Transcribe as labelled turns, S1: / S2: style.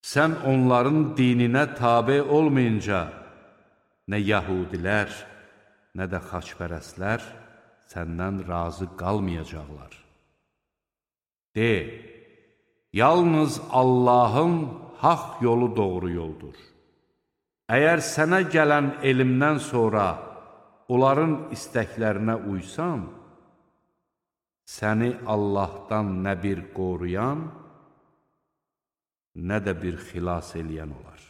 S1: Sən onların dininə tabe olmayınca, nə yəhudilər, nə də xaçpərəstlər səndən razı qalmayacaqlar. De, yalnız Allahın haqq yolu doğru yoldur. Əgər sənə gələn elmdən sonra onların istəklərinə uysan, səni Allahdan nə bir qoruyan, nə də bir xilas eləyən olar.